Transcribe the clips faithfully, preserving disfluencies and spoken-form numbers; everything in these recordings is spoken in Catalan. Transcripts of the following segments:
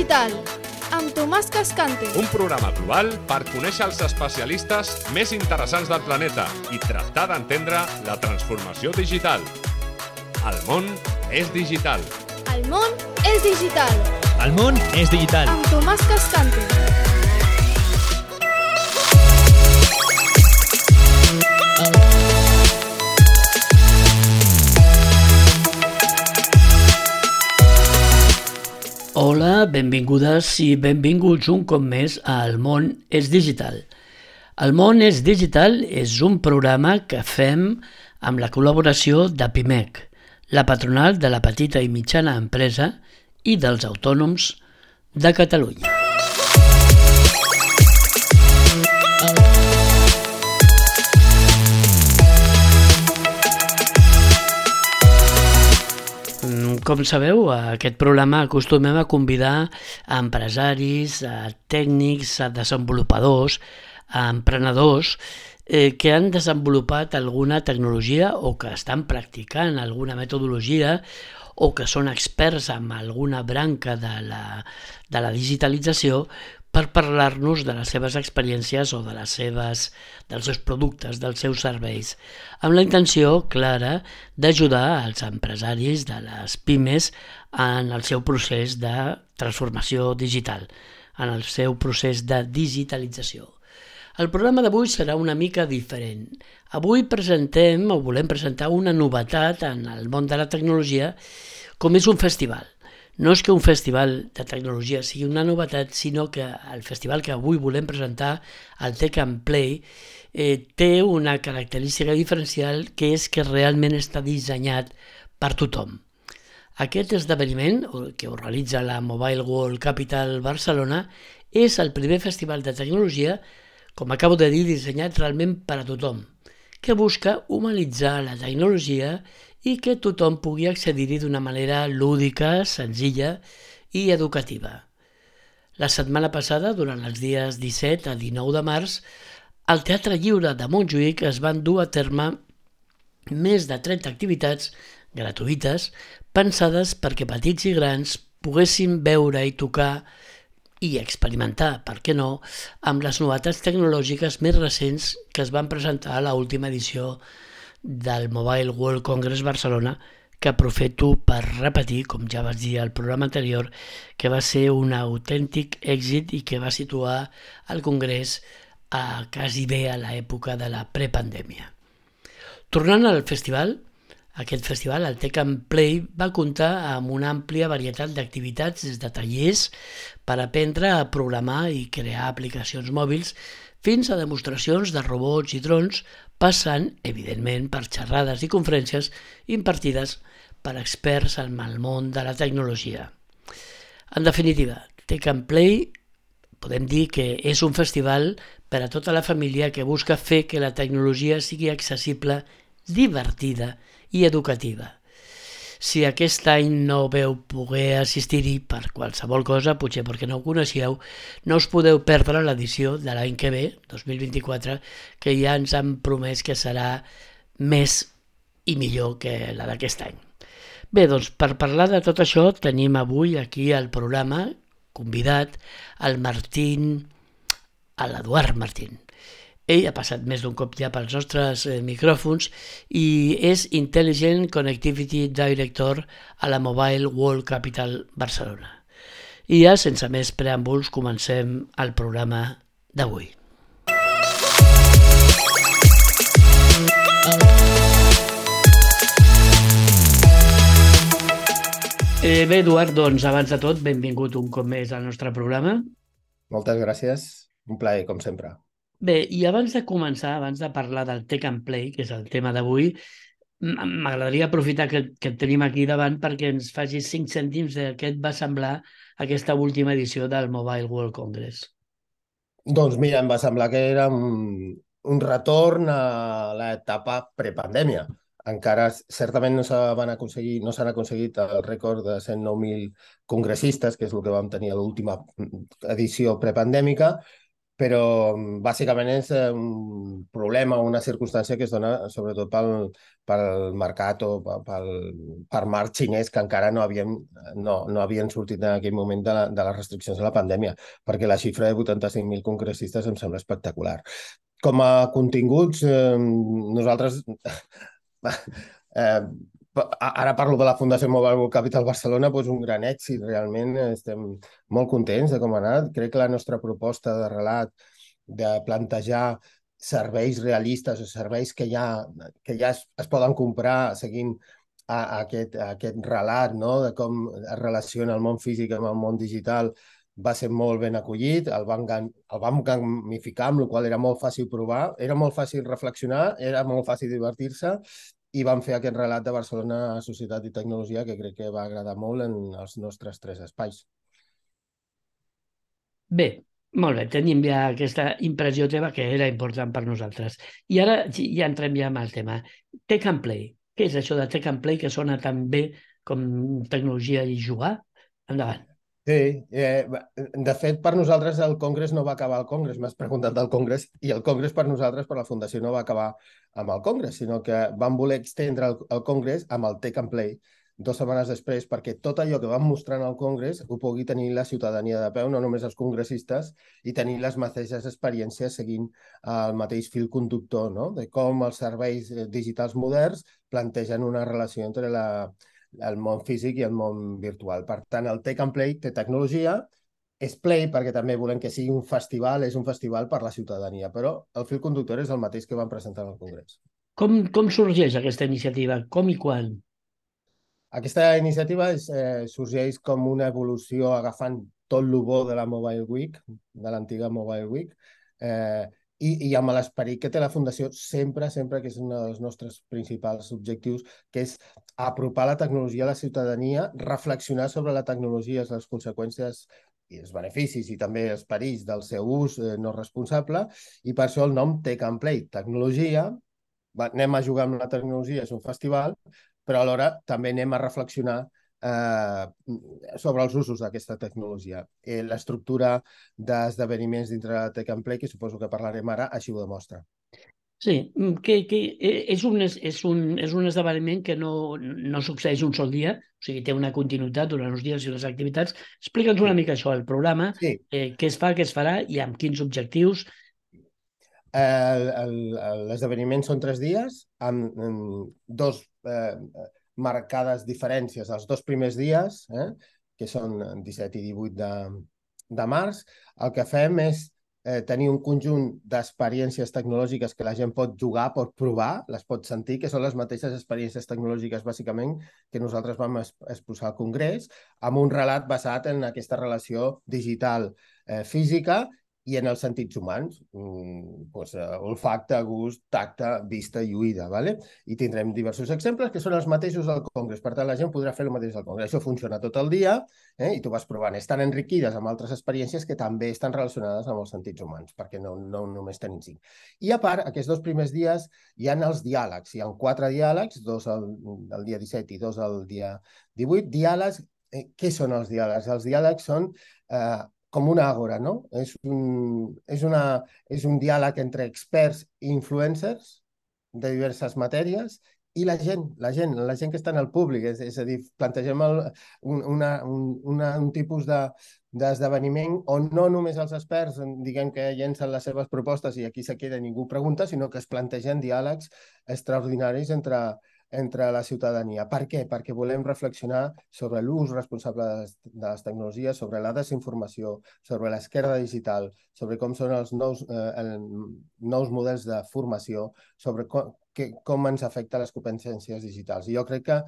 digital, amb Tomàs Cascante. Un programa global per conèixer els especialistes més interessants del planeta i tractar d'entendre la transformació digital. El món és digital. El món és digital. El món és digital. Amb Tomàs Cascante. Hola, benvingudes i benvinguts un cop més a El món és digital. El món és digital és un programa que fem amb la col·laboració de Pimec, la patronal de la petita i mitjana empresa i dels autònoms de Catalunya. Com sabeu, a aquest programa acostumem a convidar a empresaris, a tècnics, a desenvolupadors, a emprenedors eh, que han desenvolupat alguna tecnologia o que estan practicant alguna metodologia o que són experts en alguna branca de la, de la digitalització per parlar-nos de les seves experiències o de les seves, dels seus productes, dels seus serveis, amb la intenció clara d'ajudar als empresaris de les pimes en el seu procés de transformació digital, en el seu procés de digitalització. El programa d'avui serà una mica diferent. Avui presentem o volem presentar una novetat en el món de la tecnologia, com és un festival. No és que un festival de tecnologia sigui una novetat, sinó que el festival que avui volem presentar, el Tech and Play, eh, té una característica diferencial que és que realment està dissenyat per tothom. Aquest esdeveniment, que organitza la Mobile World Capital Barcelona, és el primer festival de tecnologia, com acabo de dir, dissenyat realment per a tothom, que busca humanitzar la tecnologia i que tothom pugui accedir-hi d'una manera lúdica, senzilla i educativa. La setmana passada, durant els dies disset a dinou de març, al Teatre Lliure de Montjuïc es van dur a terme més de trenta activitats gratuïtes pensades perquè petits i grans poguessin veure i tocar i experimentar, per què no, amb les novetats tecnològiques més recents que es van presentar a l'última edició del Mobile World Congress Barcelona, que aprofito per repetir, com ja vaig dir al programa anterior, que va ser un autèntic èxit i que va situar el congrés a quasi bé a l'època de la prepandèmia. Tornant al festival, aquest festival, el Tech and Play, va comptar amb una àmplia varietat d'activitats des de tallers per aprendre a programar i crear aplicacions mòbils fins a demostracions de robots i drons, passant, evidentment, per xerrades i conferències impartides per experts en el món de la tecnologia. En definitiva, Tech and Play podem dir que és un festival per a tota la família que busca fer que la tecnologia sigui accessible, divertida i educativa. Si aquest any no veu poder assistir-hi per qualsevol cosa, potser perquè no ho coneixeu, no us podeu perdre l'edició de l'any que ve, dos mil vint-i-quatre, que ja ens han promès que serà més i millor que la d'aquest any. Bé, doncs per parlar de tot això tenim avui aquí al programa convidat el Martín, l'Eduard Martín. Ell ha passat més d'un cop ja pels nostres eh, micròfons i és Intelligent Connectivity Director a la Mobile World Capital Barcelona. I ja, sense més preàmbuls, comencem el programa d'avui. Eh, bé, Eduard, doncs, abans de tot, benvingut un cop més al nostre programa. Moltes gràcies, un plaer, com sempre. Bé, i abans de començar, abans de parlar del Tech and Play, que és el tema d'avui, m'agradaria aprofitar que, que et tenim aquí davant perquè ens facis cinc cèntims de què et va semblar aquesta última edició del Mobile World Congress. Doncs mira, em va semblar que era un, un retorn a l'etapa prepandèmia. Encara certament no s'han aconseguit, no s'han aconseguit el rècord de cent nou mil congressistes, que és el que vam tenir a l'última edició prepandèmica, però bàsicament és eh, un problema, una circumstància que es dona sobretot pel, pel mercat o pel, pel, per mar xinès que encara no havien, no, no havien sortit en aquell moment de, la, de les restriccions de la pandèmia, perquè la xifra de vuitanta-cinc mil congressistes em sembla espectacular. Com a continguts, eh, nosaltres... eh, ara parlo de la Fundació Mobile World Capital Barcelona, doncs un gran èxit, realment estem molt contents de com ha anat. Crec que la nostra proposta de relat, de plantejar serveis realistes o serveis que ja, que ja es, es poden comprar seguint a, a aquest, a aquest relat, no? De com es relaciona el món físic amb el món digital, va ser molt ben acollit, el vam, el vam gamificar, amb la qual era molt fàcil provar, era molt fàcil reflexionar, era molt fàcil divertir-se, i vam fer aquest relat de Barcelona, Societat i Tecnologia, que crec que va agradar molt en els nostres tres espais. Bé, molt bé, tenim ja aquesta impressió teva que era important per nosaltres. I ara ja entrem ja en el tema. Take and Play. Què és això de Take and Play que sona tan bé com tecnologia i jugar? Endavant. Sí, eh, de fet, per nosaltres el Congrés no va acabar al Congrés. M'has preguntat del Congrés, i el Congrés per nosaltres, per la Fundació, no va acabar amb el Congrés, sinó que vam voler extendre el, el Congrés amb el Take and Play dues setmanes després, perquè tot allò que vam mostrar en el Congrés ho pugui tenir la ciutadania de peu, no només els congressistes, i tenir les mateixes experiències seguint el mateix fil conductor, no? De com els serveis digitals moderns plantegen una relació entre la, el món físic i el món virtual. Per tant, el Take and Play té tecnologia, és Play perquè també volem que sigui un festival, és un festival per la ciutadania, però el fil conductor és el mateix que vam presentar al Congrés. Com, com sorgeix aquesta iniciativa? Com i quan? Aquesta iniciativa és, eh, sorgeix com una evolució agafant tot el bo de la Mobile Week, de l'antiga Mobile Week, eh, i, i amb l'esperit que té la Fundació sempre, sempre, que és un dels nostres principals objectius, que és apropar la tecnologia a la ciutadania, reflexionar sobre la tecnologia, les conseqüències i els beneficis i també els perills del seu ús eh, no responsable, i per això el nom Take and Play, tecnologia, va, anem a jugar amb la tecnologia, és un festival, però alhora també anem a reflexionar eh, sobre els usos d'aquesta tecnologia. Eh, L'estructura d'esdeveniments dintre de Take and Play, que suposo que parlarem ara, així ho demostra. Sí, que, que és, un, és, un, és un esdeveniment que no, no succeeix un sol dia, o sigui, té una continuïtat durant uns dies i unes activitats. Explica'ns una mica això, el programa, sí. eh, què es fa, què es farà i amb quins objectius. L'esdeveniment són tres dies, amb, amb dos eh, marcades diferències. Els dos primers dies, eh, que són disset i divuit de, de març, el que fem és eh, tenir un conjunt d'experiències tecnològiques que la gent pot jugar, pot provar, les pot sentir, que són les mateixes experiències tecnològiques, bàsicament, que nosaltres vam exposar al Congrés, amb un relat basat en aquesta relació digital eh, física i en els sentits humans, mm, pues, uh, olfacte, gust, tacte, vista i oïda. ¿vale? I tindrem diversos exemples que són els mateixos al Congrés. Per tant, la gent podrà fer el mateix al Congrés. Això funciona tot el dia eh? i tu vas provant. Estan enriquides amb altres experiències que també estan relacionades amb els sentits humans, perquè no, no només tenim cinc. I a part, aquests dos primers dies hi ha els diàlegs. Hi ha quatre diàlegs, dos el, el dia disset i dos el dia divuit. Diàlegs, eh, què són els diàlegs? Els diàlegs són... Eh, com una àgora, no? És un, és, una, és un diàleg entre experts i influencers de diverses matèries i la gent, la gent, la gent que està en el públic. És, és a dir, plantegem el, un, una, un, una, un tipus de, d'esdeveniment on no només els experts diguem que llencen les seves propostes i aquí se queda i ningú pregunta, sinó que es plantegen diàlegs extraordinaris entre entre la ciutadania. Per què? Perquè volem reflexionar sobre l'ús responsable de les, de les tecnologies, sobre la desinformació, sobre l'esquerda digital, sobre com són els nous, eh, el, nous models de formació, sobre com, que, com ens afecta les competències digitals. I jo crec que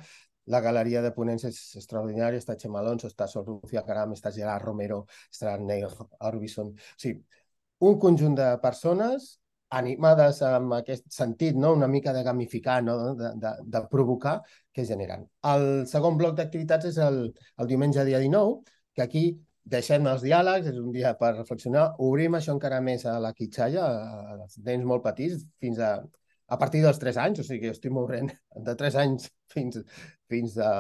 la galeria de ponents és extraordinària. Està Xema Alonso, està Sor Lucía Caram, està Gerard Romero, està Neil Orbison. O sigui, un conjunt de persones animades amb aquest sentit, no? Una mica de gamificar, no? de, de, de provocar, que generen. El segon bloc d'activitats és el, el diumenge dia dinou, que aquí deixem els diàlegs, és un dia per reflexionar, obrim això encara més a la quitxalla, als nens molt petits, fins a, a partir dels tres anys, o sigui que jo estic movent de tres anys fins, fins a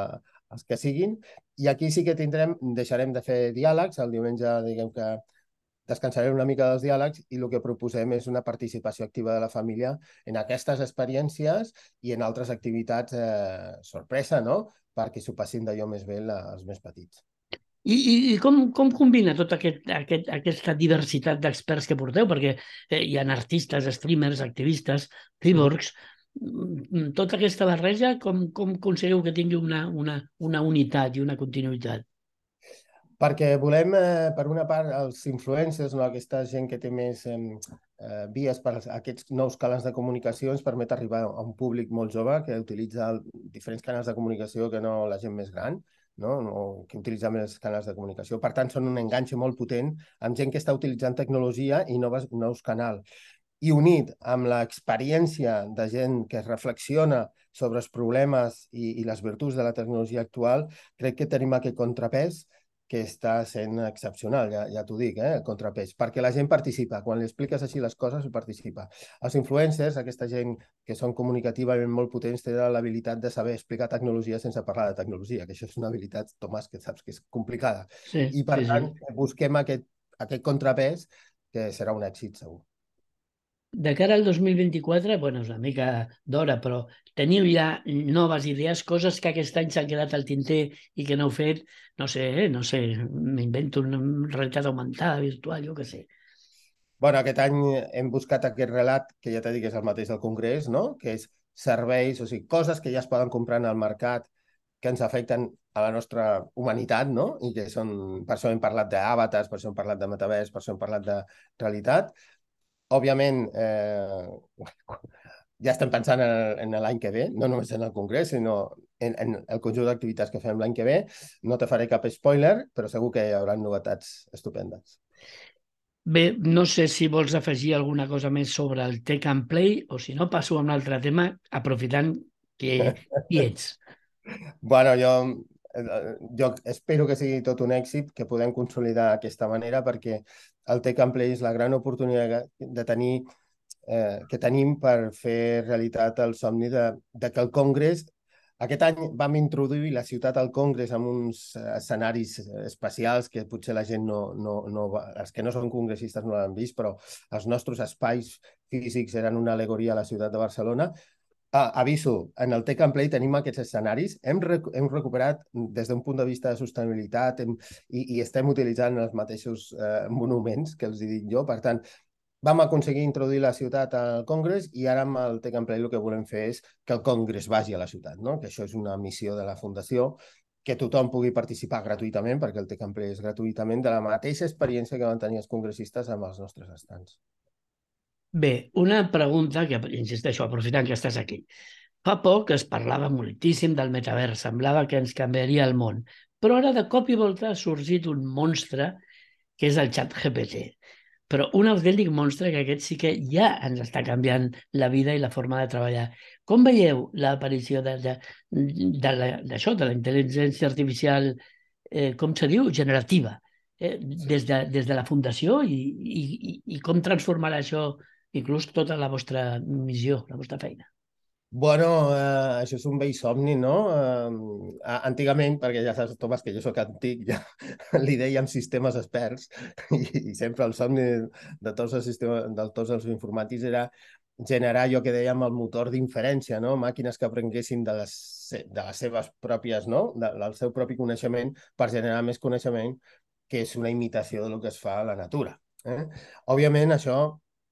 els que siguin, i aquí sí que tindrem, deixarem de fer diàlegs, el diumenge, diguem que descansarem una mica dels diàlegs i el que proposem és una participació activa de la família en aquestes experiències i en altres activitats eh, sorpresa, no? Perquè s'ho passin d'allò més bé la, els més petits. I, i, i com, com combina tota aquest, aquest, aquesta diversitat d'experts que porteu? Perquè eh, hi ha artistes, streamers, activistes, cyborgs. Mm. Tota aquesta barreja, com, com aconsegueu que tingui una, una, una unitat i una continuïtat? Perquè volem, eh, per una part, els influencers, no? Aquesta gent que té més eh, eh, vies per aquests nous canals de comunicació, ens permet arribar a un públic molt jove que utilitza diferents canals de comunicació que no la gent més gran, no? No, que utilitza més canals de comunicació. Per tant, són un enganxe molt potent amb gent que està utilitzant tecnologia i noves, nous canals. I unit amb l'experiència de gent que reflexiona sobre els problemes i, i les virtuts de la tecnologia actual, crec que tenim aquest contrapès que està sent excepcional, ja, ja t'ho dic, eh, el contrapès, perquè la gent participa. Quan li expliques així les coses, participa. Els influencers, aquesta gent que són comunicativament molt potents, tenen l'habilitat de saber explicar tecnologia sense parlar de tecnologia, que això és una habilitat, Tomàs, que saps que és complicada. Sí, I, per sí, tant, sí. busquem aquest, aquest contrapès que serà un èxit, segur. De cara al dos mil vint-i-quatre, bueno, és una mica d'hora, però teniu ja noves idees, coses que aquest any s'han quedat al tinter i que no heu fet, no sé, eh? no sé, m'invento una realitat augmentada, virtual, jo què sé. Bueno, aquest any hem buscat aquest relat, que ja t'he dit que és el mateix del Congrés, no? Que és serveis, o sigui, coses que ja es poden comprar en el mercat que ens afecten a la nostra humanitat, no? I que són, per això hem parlat d'àvatars, per això hem parlat de metavers, per això hem parlat de realitat. Òbviament, eh, ja estem pensant en, en l'any que ve, no només en el Congrés, sinó en, en el conjunt d'activitats que fem l'any que ve. No te faré cap spoiler, però segur que hi haurà novetats estupendes. Bé, no sé si vols afegir alguna cosa més sobre el Take and Play o si no passo a un altre tema aprofitant que hi ets. Bueno, jo, jo espero que sigui tot un èxit, que podem consolidar aquesta manera, perquè el Take and Play és la gran oportunitat de tenir, eh, que tenim per fer realitat el somni de, de que el Congrés... Aquest any vam introduir la ciutat al Congrés amb uns escenaris especials que potser la gent no, no, no va, els que no són congressistes no l'han vist, però els nostres espais físics eren una alegoria a la ciutat de Barcelona. Ah, aviso, en el Take and Play tenim aquests escenaris, hem, rec hem recuperat des d'un punt de vista de sostenibilitat hem, i, i estem utilitzant els mateixos eh, monuments que els dic jo, per tant, vam aconseguir introduir la ciutat al Congrés i ara amb el Take and Play el que volem fer és que el Congrés vagi a la ciutat, no? Que això és una missió de la Fundació, que tothom pugui participar gratuïtament, perquè el Take and Play és gratuïtament, de la mateixa experiència que van tenir els congressistes amb els nostres estants. Bé, una pregunta que, insisteixo, aprofitant que estàs aquí. Fa poc es parlava moltíssim del metavers, semblava que ens canviaria el món, però ara de cop i volta ha sorgit un monstre que és el xat G P T. Però un autèntic monstre que aquest sí que ja ens està canviant la vida i la forma de treballar. Com veieu l'aparició d'això, de, de, de, de la intel·ligència artificial, eh, com se diu, generativa, eh, des, de, des de la Fundació i, i, i, i com transformarà això inclús tota la vostra missió, la vostra feina? Bueno, eh, això és un vell somni, no? Eh, antigament, perquè ja saps, Tomàs, que jo sóc antic, ja li dèiem sistemes experts i, i sempre el somni de tots els sistemes, de tots els informàtics era generar allò que dèiem el motor d'inferència, no? Màquines que aprenguessin de les, de les seves pròpies, no? De, del seu propi coneixement per generar més coneixement, que és una imitació del que es fa a la natura. Eh? Òbviament, això...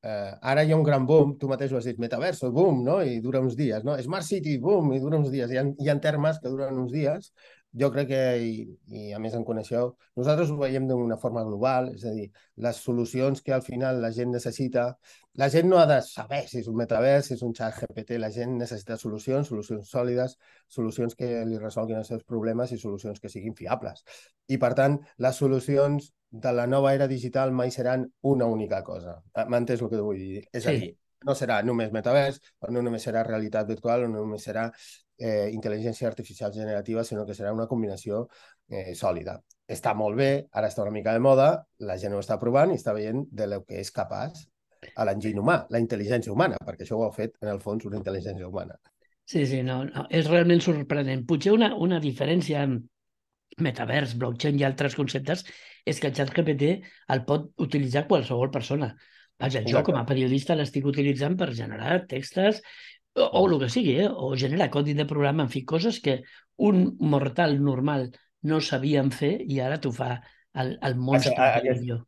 Uh, ara hi ha un gran boom, tu mateix ho has dit, metaverso, boom, no? I dura uns dies, no? Smart City, boom, i dura uns dies. Hi ha, hi ha termes que duren uns dies. Jo crec que, i, i a més en coneixeu, nosaltres ho veiem d'una forma global, és a dir, les solucions que al final la gent necessita, la gent no ha de saber si és un metavers, si és un xat G P T, la gent necessita solucions, solucions sòlides, solucions que li resolguin els seus problemes i solucions que siguin fiables. I per tant, les solucions de la nova era digital mai seran una única cosa. M'entens el que vull dir? És a dir, no serà només metavers, o no només serà realitat virtual, o no només serà eh, intel·ligència artificial generativa, sinó que serà una combinació eh, sòlida. Està molt bé, ara està una mica de moda, la gent ho està provant i està veient de lo que és capaç a l'enginy humà, la intel·ligència humana, perquè això ho ha fet, en el fons, una intel·ligència humana. Sí, sí, no, no és realment sorprenent. Potser una, una diferència metavers, blockchain i altres conceptes, és que el ChatGPT el pot utilitzar qualsevol persona. Vaja, jo com a periodista l'estic utilitzant per generar textos o, o el que sigui, eh? O generar codi de programa, en fi, coses que un mortal normal no sabíem fer i ara t'ho fa el, el monstre que Aquest, dic jo.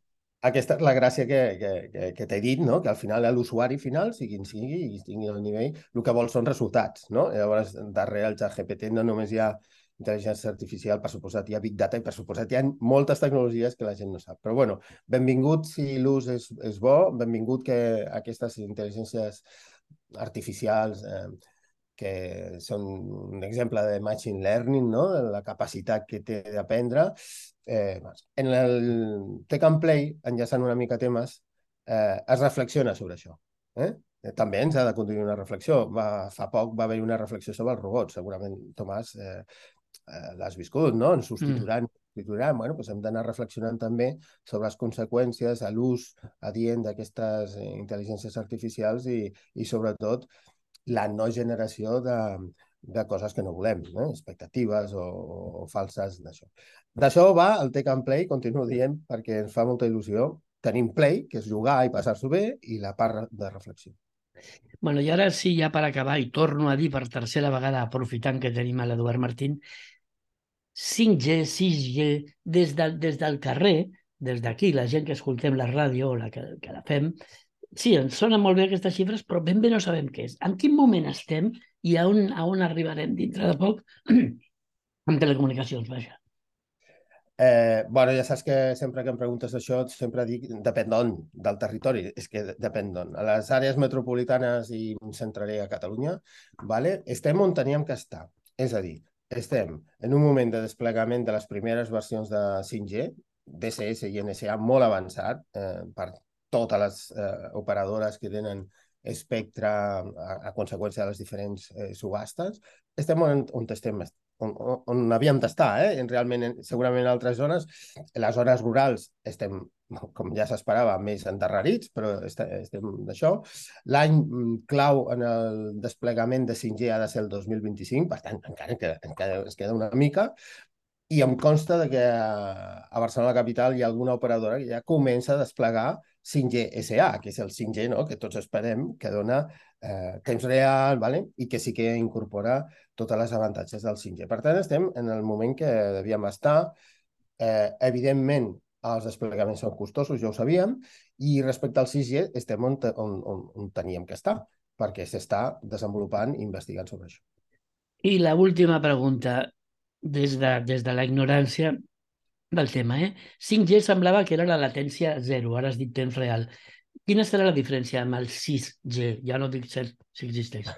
Aquesta és la gràcia que, que, que, que t'he dit, no? Que al final l'usuari final, sigui quin sigui, i tingui el nivell, el que vol són resultats, no? Llavors, darrere el ChatGPT no només hi ha intel·ligència artificial, per suposat hi ha Big Data i per suposat hi ha moltes tecnologies que la gent no sap. Però bueno, benvingut si l'ús és, és bo, benvingut que aquestes intel·ligències artificials eh, que són un exemple de machine learning, no? La capacitat que té d'aprendre. Eh, en el Tech and Play, enllaçant una mica temes, eh, es reflexiona sobre això. Eh? També ens ha de continuar una reflexió. Va, fa poc va haver una reflexió sobre els robots. Segurament, Tomàs, eh, eh, l'has viscut, no? Ens substituiran. Mm. substituiran. Bueno, doncs hem d'anar reflexionant també sobre les conseqüències, a l'ús adient d'aquestes intel·ligències artificials i, i sobretot, la no generació de, de coses que no volem, eh? expectatives o, o falses d'això. D'això va el Tech and Play, continuo dient, perquè ens fa molta il·lusió. Tenim Play, que és jugar i passar-s'ho bé, i la part de reflexió. Bueno, i ara sí, ja per acabar, i torno a dir per tercera vegada, aprofitant que tenim a l'Eduard Martín, cinc G, sis G, des, de, des del carrer, des d'aquí, la gent que escoltem la ràdio o la que, que la fem, sí, ens sonen molt bé aquestes xifres, però ben bé no sabem què és. En quin moment estem i a on, a on arribarem dintre de poc amb telecomunicacions, vaja. Eh, bueno, ja saps que sempre que em preguntes això sempre dic depèn d'on, del territori, és que depèn d'on. A les àrees metropolitanes i em centraré a Catalunya, vale? Estem on teníem que estar. És a dir, estem en un moment de desplegament de les primeres versions de cinc G, D S S i N S A molt avançat eh, per totes les eh, operadores que tenen espectre a, a conseqüència de les diferents eh, subhastes. Estem on, on estem On, on havíem d'estar, eh? Realment, segurament en altres zones, en les zones rurals estem, com ja s'esperava, més endarrerits, però estem d'això. L'any clau en el desplegament de cinc G ha de ser el dos mil vint-i-cinc, per tant, encara, encara, encara es queda una mica, i em consta que a Barcelona capital hi ha alguna operadora que ja comença a desplegar cinc G S A, que és el cinc G, no? Que tots esperem, que dona eh, temps real, vale? I que sí que incorpora totes les avantatges del cinc G. Per tant, estem en el moment que devíem estar. Eh, evidentment, els desplegaments són costosos, ja ho sabíem, i respecte al sis G estem on, on, on, on teníem que estar, perquè s'està desenvolupant i investigant sobre això. I l'última pregunta, des de, des de la ignorància del tema, eh? cinc G semblava que era la latència zero, ara has dit temps real. Quina serà la diferència amb el sis G? Ja no dic cert si existeix.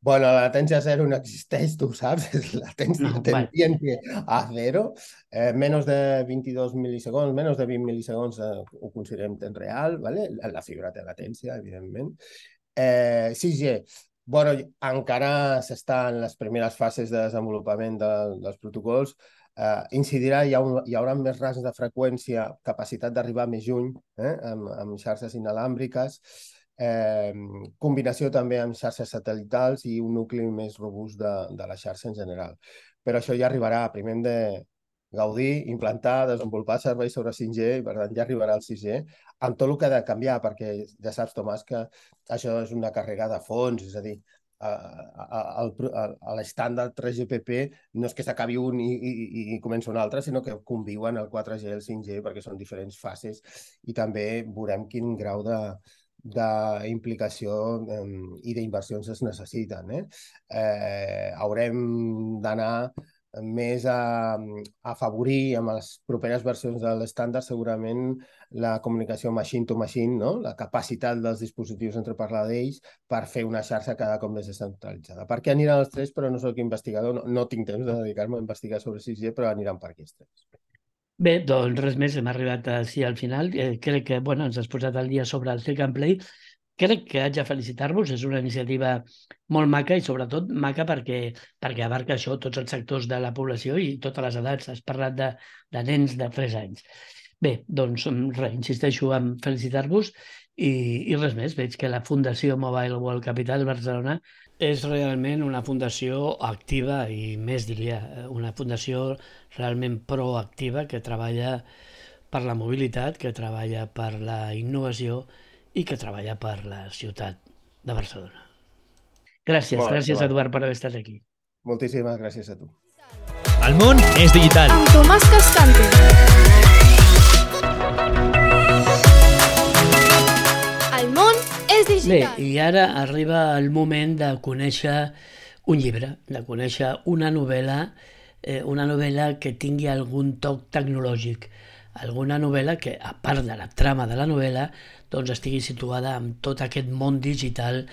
Bueno, la latència zero no existeix, tu ho saps, és latència no, tendiente a zero. Eh, menos de veintidós milisegons, menos de vint milisegons eh, ho considerem temps real, ¿vale? La fibra té latència, evidentment. Eh, sis G, bueno, encara s'està en les primeres fases de desenvolupament de, dels protocols. Eh, incidirà, hi, ha un, hi haurà més rangs de freqüència, capacitat d'arribar més lluny, eh, amb, amb xarxes inalàmbriques, eh, combinació també amb xarxes satelitals i un nucli més robust de, de la xarxa en general. Però això ja arribarà, primer hem de gaudir, implantar, desenvolupar serveis sobre cinc G i per tant ja arribarà al sis G, amb tot el que ha de canviar, perquè ja saps, Tomàs, que això és una càrrega de fons, és a dir, a, a, a, a l'estàndard tres G P P no és que s'acabi un i, i, i comença un altre, sinó que conviuen el quatre G i el cinc G perquè són diferents fases i també veurem quin grau de d'implicació eh, i d'inversions es necessiten. Eh? Eh, haurem d'anar més a, a afavorir amb les properes versions de l'estàndard segurament la comunicació machine to machine, no? La capacitat dels dispositius entre parlar d'ells per fer una xarxa cada cop més descentralitzada. Per què aniran els tres? Però no soc investigador, no, no tinc temps de dedicar-me a investigar sobre sis G, però aniran per aquests tres. Bé, doncs res més, hem arribat així al final. Eh, crec que bueno, ens has posat al dia sobre el Tech and Play. Crec que haig de felicitar-vos, és una iniciativa molt maca i sobretot maca perquè, perquè abarca això, tots els sectors de la població i totes les edats. Has parlat de, de nens de tres anys. Bé, doncs res, insisteixo en felicitar-vos i, i res més. Veig que la Fundació Mobile World Capital Barcelona és realment una fundació activa i més diria, una fundació realment proactiva que treballa per la mobilitat, que treballa per la innovació i que treballa per la ciutat de Barcelona. Gràcies, Molt bé, gràcies molt bé. Eduard per haver estat aquí. Moltíssimes gràcies a tu. El món és digital. Amb Tomàs Cascante. El món és Bé, digital. i ara arriba el moment de conèixer un llibre, de conèixer una novel·la, eh, una novel·la que tingui algun toc tecnològic, alguna novel·la que, a part de la trama de la novel·la, doncs estigui situada en tot aquest món digital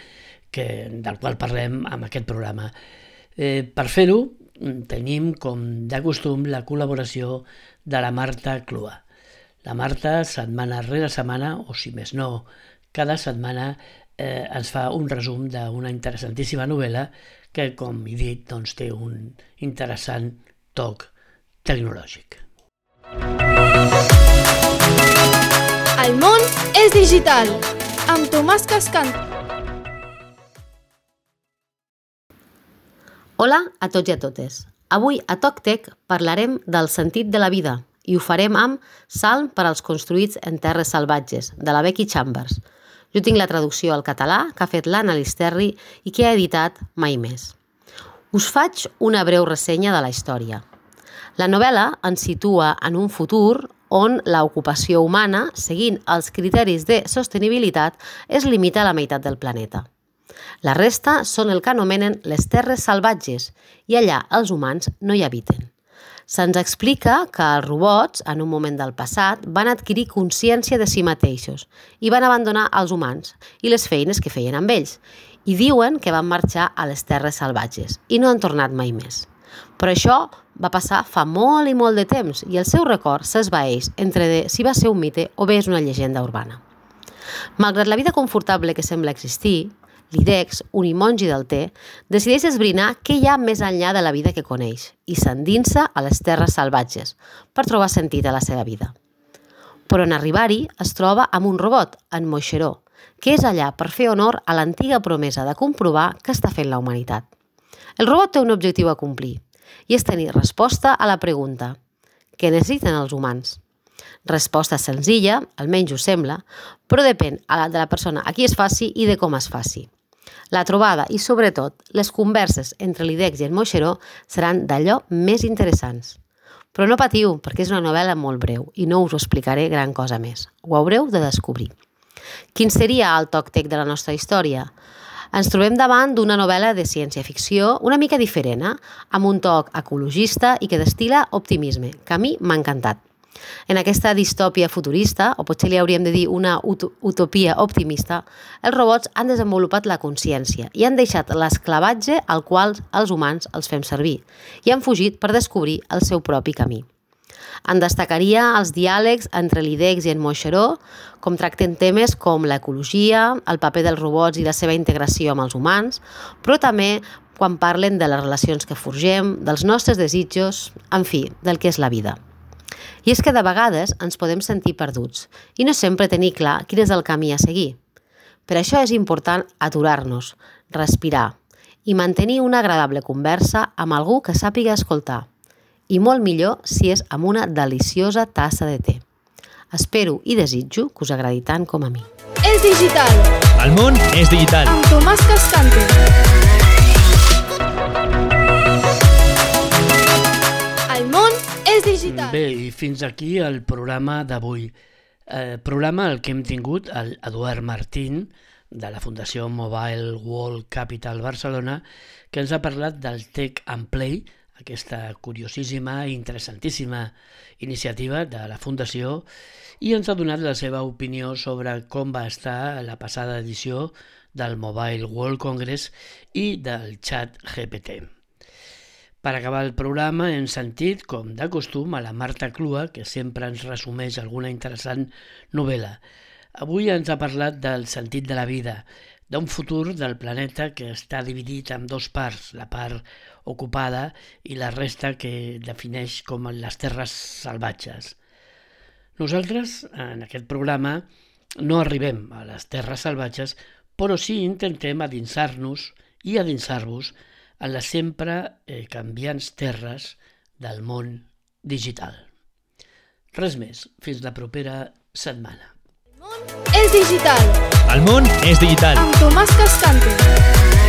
que, del qual parlem en aquest programa. Eh, per fer-ho, tenim, com de costum, la col·laboració de la Marta Clua. La Marta, setmana rere setmana, o si més no, cada setmana eh, ens fa un resum d'una interessantíssima novel·la que, com he dit, doncs, té un interessant toc tecnològic. El món és digital. Amb Tomàs Cascante. Hola a tots i a totes. Avui a TocTec parlarem del sentit de la vida i ho farem amb Salm per als construïts en terres salvatges, de la Becky Chambers. Jo tinc la traducció al català que ha fet l'Anna Listerri i que ha editat Mai Més. Us faig una breu ressenya de la història. La novel·la ens situa en un futur on l'ocupació humana, seguint els criteris de sostenibilitat, es limita a la meitat del planeta. La resta són el que anomenen les terres salvatges i allà els humans no hi habiten. Se'ns explica que els robots, en un moment del passat, van adquirir consciència de si mateixos i van abandonar els humans i les feines que feien amb ells i diuen que van marxar a les terres salvatges i no han tornat mai més. Però això va passar fa molt i molt de temps i el seu record s'esvaeix entre de si va ser un mite o bé és una llegenda urbana. Malgrat la vida confortable que sembla existir, l'Idex, un imongi del té, decideix esbrinar què hi ha més enllà de la vida que coneix i s'endinsa a les terres salvatges per trobar sentit a la seva vida. Però en arribar-hi es troba amb un robot, en Moixeró, que és allà per fer honor a l'antiga promesa de comprovar què està fent la humanitat. El robot té un objectiu a complir i és tenir resposta a la pregunta: què necessiten els humans? Resposta senzilla, almenys ho sembla, però depèn de la persona a qui es faci i de com es faci. La trobada i, sobretot, les converses entre l'Idex i el Moixeró seran d'allò més interessants. Però no patiu, perquè és una novel·la molt breu i no us ho explicaré gran cosa més. Ho haureu de descobrir. Quin seria el TocTec de la nostra història? Ens trobem davant d'una novel·la de ciència-ficció una mica diferent, eh? Amb un toc ecologista i que destil·la optimisme, que a mi m'ha encantat. En aquesta distòpia futurista, o potser li hauríem de dir una ut- utopia optimista, els robots han desenvolupat la consciència i han deixat l'esclavatge al qual els humans els fem servir i han fugit per descobrir el seu propi camí. En destacaria els diàlegs entre l'Idex i en Moixeró, com tracten temes com l'ecologia, el paper dels robots i la seva integració amb els humans, però també quan parlen de les relacions que forgem, dels nostres desitjos, en fi, del que és la vida. I és que de vegades ens podem sentir perduts i no sempre tenir clar quin és el camí a seguir. Per això és important aturar-nos, respirar i mantenir una agradable conversa amb algú que sàpiga escoltar. I molt millor si és amb una deliciosa tassa de te. Espero i desitjo que us agradi tant com a mi. És digital. El món és digital. Amb Tomàs Cascante. El món és digital. Bé, i fins aquí el programa d'avui. Eh, programa el que hem tingut el Eduard Martín, de la Fundació Mobile World Capital Barcelona, que ens ha parlat del Tech and Play, aquesta curiosíssima i interessantíssima iniciativa de la Fundació, i ens ha donat la seva opinió sobre com va estar la passada edició del Mobile World Congress i del Chat G P T. Per acabar el programa hem sentit, com de costum, a la Marta Clua, que sempre ens resumeix alguna interessant novel·la. Avui ens ha parlat del sentit de la vida, d'un futur del planeta que està dividit en dos parts, la part ocupada i la resta que defineix com les terres salvatges. Nosaltres, en aquest programa, no arribem a les terres salvatges, però sí intentem adinsar-nos i adinsar-vos en les sempre eh, canviants terres del món digital. Res més, fins la propera setmana. El món és digital. El món és digital. Amb Tomàs Cascante.